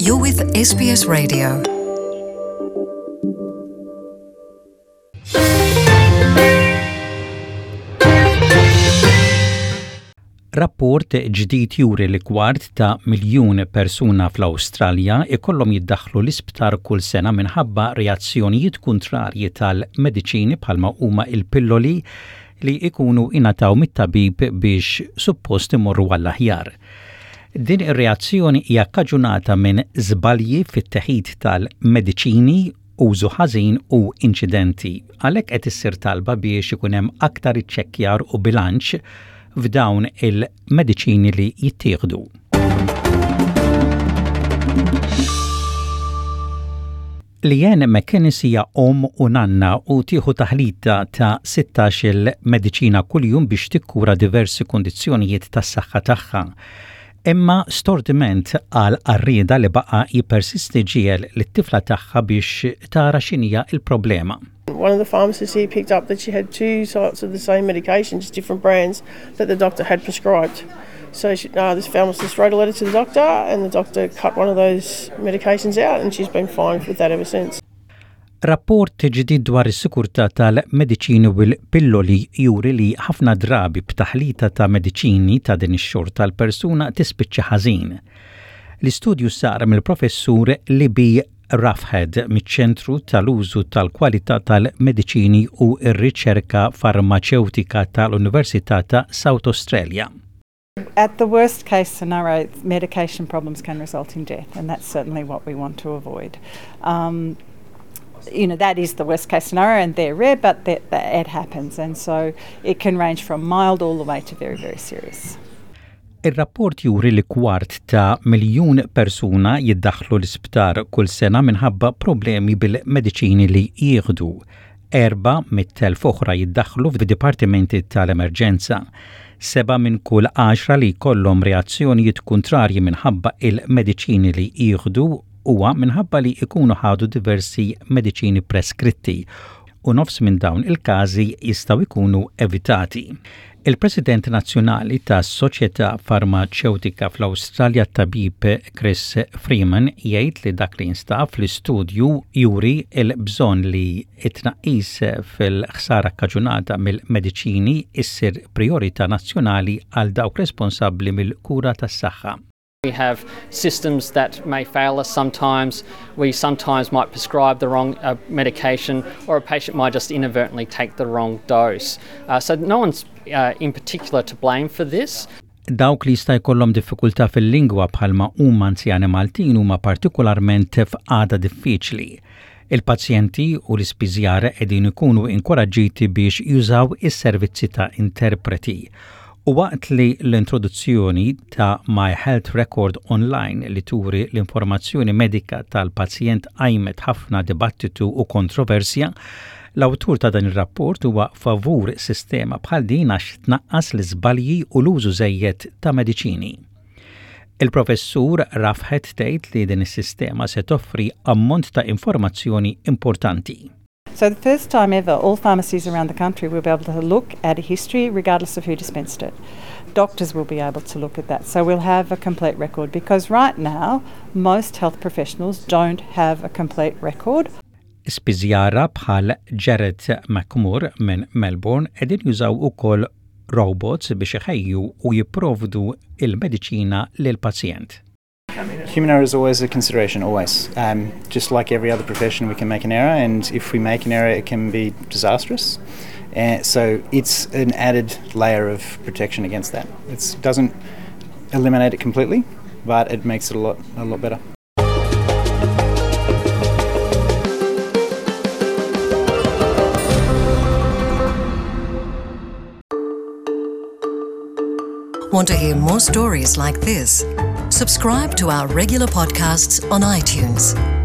You're with SBS Radio. Rapport ġdid juri li kwart ta' miljun persuna fl-Awstralja ikollhom jiddaħħlu l-isptar kull sena minħabba reazzjonijiet kuntrarji tal-mediċini bħalma huma il-pilloli li jkunu ingħataw mit-tabib biex suppost imorru għall-aħjar. Din ir-reazzjoni hija kkaġunata minn żbalji fit-teħid tal-mediċini, użu ħażin u inċidenti. Għalhekk qed issir talba biex ikun hemm aktar iċċekkjar u bilanċ f'dawn il-mediċini li jittieħdu. Leanne McInnes hija omm u nanna u tieħu taħlita ta' 16-il mediċina kuljum biex tikkura diversi kundizzjonijiet tas-saħħa tagħha. Imma stordiment għal għarrieda li baqa' jippersisti ġiegħel lit-tifla tagħha biex tara x'inhija l-problema. One of the pharmacists here picked up that she had two sorts of the same medication, just different brands, that the doctor had prescribed. So she, uh, this pharmacist wrote a letter to the doctor, and the doctor cut one of those medications out, and she's been fine with that ever since. Rapport ġdid dwar is-sikurtà tal-mediċini u l-pilloli juri li ħafna drabi b'taħlita ta' mediċini ta' din ix-xorta l-persuna tispiċċa ħażin. L-istudju sar mill-professur Libby Roughead miċ-Ċentru tal-Użu tal-Kwalità tal-Mediċini u r-Riċerka Farmaċewtika tal-Università ta' South Australia. At the worst case scenario, medication problems can result in death, and that's certainly what we want to avoid. Um, you know, that is the worst case scenario, and they're rare, but that, that it happens. And so it can range from mild all the way to very, very serious. Ir-rapport juri li kwart ta' miljun persuna jiddaħħlu l-isptar kull sena minħabba problemi bil-mediċini li jieħdu. 400,000 oħra jiddaħħlu f'dipartimenti tal-emerġenza. Seba' minn kull għaxra li jkollhom reazzjonijiet kuntrarji minħabba il-mediċini li jieħdu huwa minħabba li jkunu ħadu diversi mediċini preskritti u nofs minn dawn il-każi jistgħu jkunu evitati. Il-President Nazzjonali tas-Soċjetà Farmaċewtika fl-Awstralja tabib Chris Freeman jgħid li dak li jinstab fl-istudju juri l-bżonn li t-tnaqqis fil-ħsara kkaġunata mill-mediċini issir priorità nazzjonali għal dawk responsabbli mill-kura tas-saħħa. We have systems that may fail us sometimes. We sometimes might prescribe the wrong uh, medication, or a patient might just inadvertently take the wrong dose. Uh, so, no one's uh, in particular to blame for this. Dawk li jista' jkollhom diffikultà fil-lingwa bħalma huma anzjani Maltin huma partikolarment f'qagħda diffiċli. Il-pazjenti u l-ispiżjara qegħdin ikunu inkoraġġiti biex jużaw is-servizzi ta' interpreti. U waqt li l-introduzzjoni ta' My Health Record Online li turi l-informazzjoni medika tal-pazjent qajmet ħafna dibattitu u kontroversja, l-awtur ta' dan ir-rapport huwa favur sistema bħal din għax tnaqqas l-iżbalji u l-użu żejjed ta' mediċini. Il-Professur Roughead tgħid li din is-sistema se toffri ammont ta' informazzjoni importanti. So the first time ever, all pharmacies around the country will be able to look at a history regardless of who dispensed it. Doctors will be able to look at that. So we'll have a complete record because right now, most health professionals don't have a complete record. Spiżjara bħal Jared McMurr minn Melbourne qegħdin jużaw ukoll robots biex iħejju u jipprovdu il-mediċina lill-pazjent. Human error is always a consideration, always. Um, just like every other profession, we can make an error, and if we make an error, it can be disastrous. Uh, so it's an added layer of protection against that. It doesn't eliminate it completely, but it makes it a lot, a lot better. Want to hear more stories like this? Subscribe to our regular podcasts on iTunes.